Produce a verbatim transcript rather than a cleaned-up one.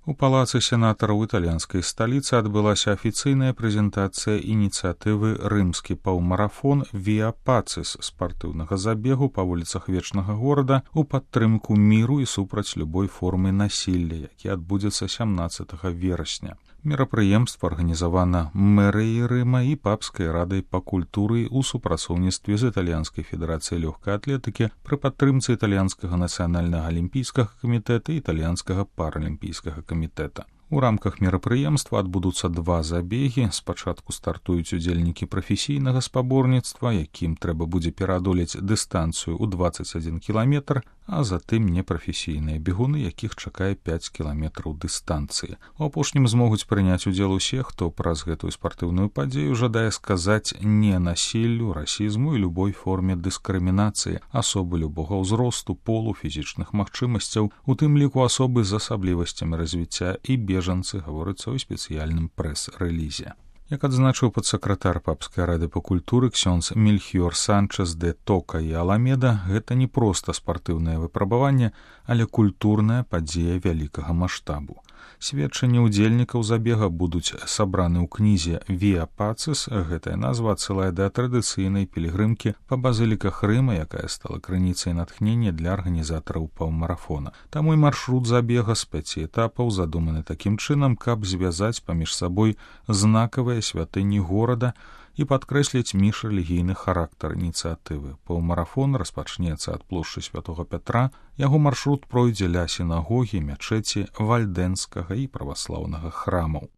У палацы сенатараў італьянскай сталіцы адбылася афіцыйная прэзентацыя ініцыятывы рымскі паўмарафон Via Pacis спартыўнага забегу па вуліцах вечнага горада ў падтрымку міру і супраць любой формы насілля, які адбудзецца сямнаццатага верасня. Мерапрыемства арганізавана мэрыяй Рыма і папскай радай па культуры ў супрацоўніцтве з італьянскай федэрацыяй лёгкай атлетыкі пры падтрымцы італьянскага нацыянальнага алімпійскага камітэта і італьянскага паралімпійскага камітэта. У рамках мерапрыемства адбудуцца два забегі. Спачатку стартуюць удзельнікі прафесійнага спаборніцтва, якім трэба будзе пераадолець дыстанцыю ў дваццаць адзін кіламетр, а затым непрафесійныя бегуны, якіх чакае пяць кіламетраў дыстанцыі. У апошнім змогуць прыняць удзел усе, хто праз гэтую спартыўную падзею жадае сказаць не насіллю, расізму і любой форме дыскрымінацыі асобы любога ўзросту, полу, фізічных магчымасцяў, у тым ліку асобы з асаблівасцямі развіцця і бежанцы, гаворыцца ў спецыяльным прэс-рэлізе. Як адзначыў падсакратар папскай рады па культуры ксёндз Мельхіор Санчес де Тока і Аламеда, гэта не проста спартыўнае выпрабаванне, але культурная падзея вялікага маштабу. Сведчанні ўдзельнікаў забега будуць сабраны ў кнізе Via Pacis. Гэтая назва адсылае да традыцыйнай пілігрымкі па базыліках Рыма, якая стала крыніцай натхнення для арганізатараў паўмарафона. Таму і маршрут забега з пяці этапаў задуманы такім чынам, каб звязаць паміж сабой знакавыя святыні горада і падкрэсліць міжрэлігійны характар ініцыятывы. Паўмарафон распачнецца ад плошчы святога Пятра, яго маршрут пройдзе ля сінагогі, мячэці, вальдэнскага і праваслаўнага храмаў.